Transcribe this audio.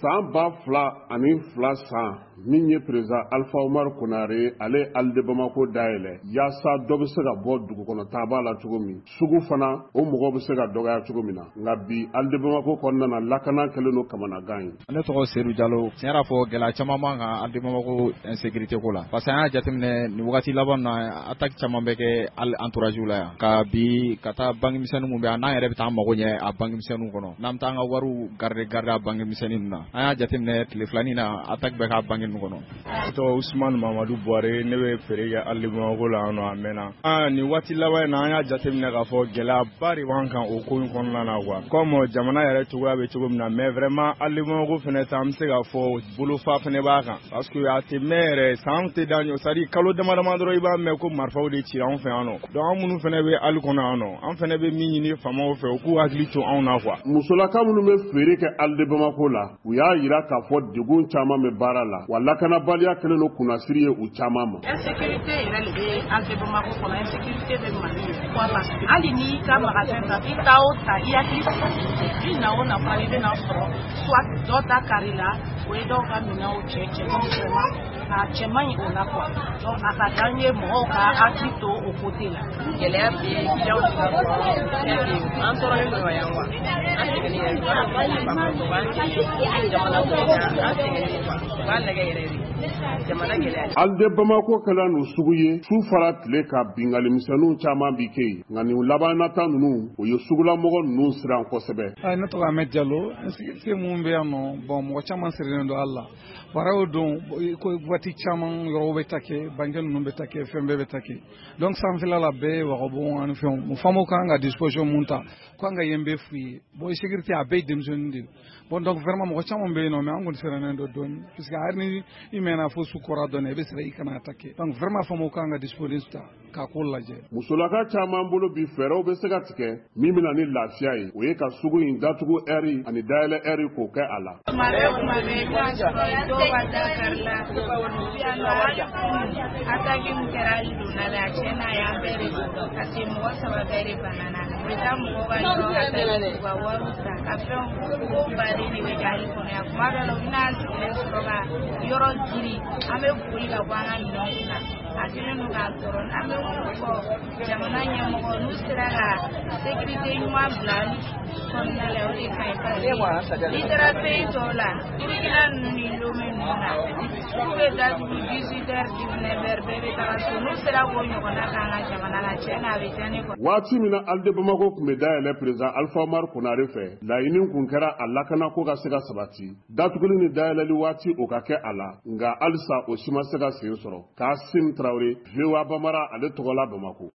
San 2002 san, min ye président Alpha Oumar Konaré, ale Halles de Bamako dayɛlɛ yaasa dɔ bɛ se ka bɔ dugukɔnɔ taaba la cogo min, sugu fana o mɔgɔw bɛ se ka dɔgɔya cogo min na. Nka bi, Halles de Bamako kɔnɔna na, lakana kɛlen don kamanagan ye. Ne tɔgɔ Seydou Diallo. Tiɲɛ yɛrɛ fɔ, gɛlɛya caman b'an kan Halles de Bamako insécurité ko la, parce que an y'a jateminɛ nin wagati laban na, attaque caman bɛ kɛ hali entourage la yan ka bi ka taa banque misɛnnin mun bɛ yan, n'an yɛrɛ bɛ taa an mago ɲɛ a banque misɛnninw kɔnɔ, n'an bɛ taa an ka wariw garder garder a banque misɛnnin ninnu na. An y'a jateminɛ tile filanin na, attaque bɛ k'a banque ninnu kɔnɔ. Ne tɔgɔ Ousmane Mamadou Buware, ne bɛ feere kɛ Halles de Bamako la yan nɔ a mɛnna. Nin waati laban in na, an y'a jateminɛ k'a fɔ gɛlɛyaba de b'an kan o ko in kɔnɔna na quoi, comme jamana yɛrɛ cogoya bɛ cogo min na. Mais vraiment, Halles de Bamako fɛnɛ ta, an bɛ se k'a fɔ bolofa fɛnɛ b'a kan, parce que a tɛ mɛn yɛrɛ, san tɛ da ɲɔ, c'est à dire kalo dama dama dɔrɔn, i b'a mɛn ko marifaw de cira anw fɛ yan nɔ. Donc an minnu fɛnɛ bɛ halle kɔnɔ yan nɔ, an fɛnɛ bɛ min ɲini faamaw fɛ, u k'u hakili to anw na quoi. Musolaka minnu bɛ feere kɛ Halles de Bamako la, u y'a yira k'a fɔ degun caman bɛ baara la, wa lakanabaliya kɛlen don kunnasiri ye u caman ma. Insécurité yɛrɛ de bɛ Halles de Bamako kɔnɔ, insécurité bɛ Mali yɛrɛ, parce que hali n'i ka magasin ta, i taa o ta, i hakili sigilen tɛ. I na o na fana, i bɛna sɔrɔ soit dɔ ta kari la, o ye dɔw ka minɛnw cɛ cɛ. Donc vraiment, a cɛ man ɲi o la quoi. Donc a ka d'an ye mɔgɔw ka hakili to o côté la. Gɛlɛya bɛ clients ka, an tɔɔrɔlen don yan quoi, an sɛgɛnnen yɛrɛ. Jamana ko in na, an sɛgɛnnen quoi. U b'a lajɛ yɛrɛ de, jamana gɛlɛya. Halles de Bamako kɛla nin sugu ye, su fara tile ka, bingali misɛnninw caman bi kɛ yen. Nka nin labanata ninnu, o ye sugulamɔgɔ ninnu siran kosɛbɛ. Ne tɔgɔ Ahmed Diallo. Insécurité mun bɛ yan nɔ, bon, mɔgɔ caman sirilen don hali la baara o don ko waati caman yɔrɔw bɛ ta kɛ, banque ninnu bɛ ta kɛ, fɛn bɛɛ bɛ ta kɛ. Donc sanfɛla la bɛɛ ye wagabon ani fɛnw. Faamaw kan ka disposition mun ta ko an ka yen bɛɛ f'u ye. Bon, insécurité a bɛɛ ye denmisɛnnin de ye. Bon, donc vraiment, mɔgɔ caman bɛ yen nɔ, mais an kɔni sirannen don dɔɔni, puisque hali ni i mɛnna fo su kɔra dɔɔni, i bɛ siran i kana attaquer. Donc vraiment, faamaw kan ka disposition ta k'a ko lajɛ. Musolaka caman bolo bi, fɛɛrɛw bɛ se ka tigɛ min bɛna ni lafiya ye, o ye ka sugu in datugu ɛri ani dayɛlɛ ɛri k'o kɛ a la. Tuma bɛɛ, tuma bɛɛ, i bɛna sɔrɔ dɔw ka da kari la yan nɔ. Hali attaque min kɛra hali donna la, tiɲɛ na, a y'an bɛɛ de sɔrɔ, parce que mɔgɔ saba bɛɛ de banana. U bɛ taa mɔgɔw ka yɔrɔ ka taa u ka wariw ta ka fɛnw ko baden de bɛ kɛ hali kɔnɔ yan. Kuma dɔ la, u bɛna an sigilen sɔrɔ ka yɔrɔ giri, an bɛ boli ka bɔ an ka minɛnw kunna. A kɛlen don k'an tɔɔrɔ. An bɛ mun fɔ jamana ɲɛmɔgɔ, n'u sera ka sécurité ɲuman bila hali kɔnɔna la, o de ka ɲi, parce que n'i taara pays tɔw la, Burukina ninnu ni Lomé ninnu na, sugu bɛ datugu 18 heures, 19 heures, bɛɛ bɛ taga so. N'u sera k'o ɲɔgɔnna k'an ka jamana la, tiɲɛ na, a bɛ diya ne kɔnɔ. Waati min na Halles de Bamako tun bɛ dayɛlɛ président Alpha Oumar Konaré fɛ, laɲini kun kɛra a lakanako ka se ka sabati, datuguli ni dayɛlɛli waati o ka kɛ a la. Nka halisa o si ma se ka sen sɔrɔ. Kasim Tarawele, VOA Bambara, ale tɔgɔla Bamako.